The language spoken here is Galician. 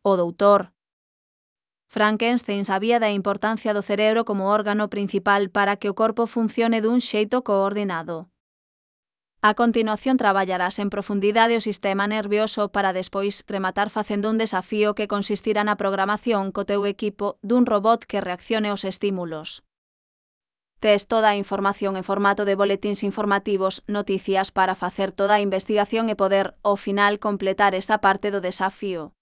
O doutor Frankenstein sabía da importancia do cerebro como órgano principal para que o corpo funcione dun xeito coordinado. A continuación traballarás en profundidade o sistema nervioso para despois rematar facendo un desafío que consistirá na programación co teu equipo dun robot que reaccione aos estímulos. Tes toda a información en formato de boletíns informativos, noticias para facer toda a investigación e poder, ao final, completar esta parte do desafío.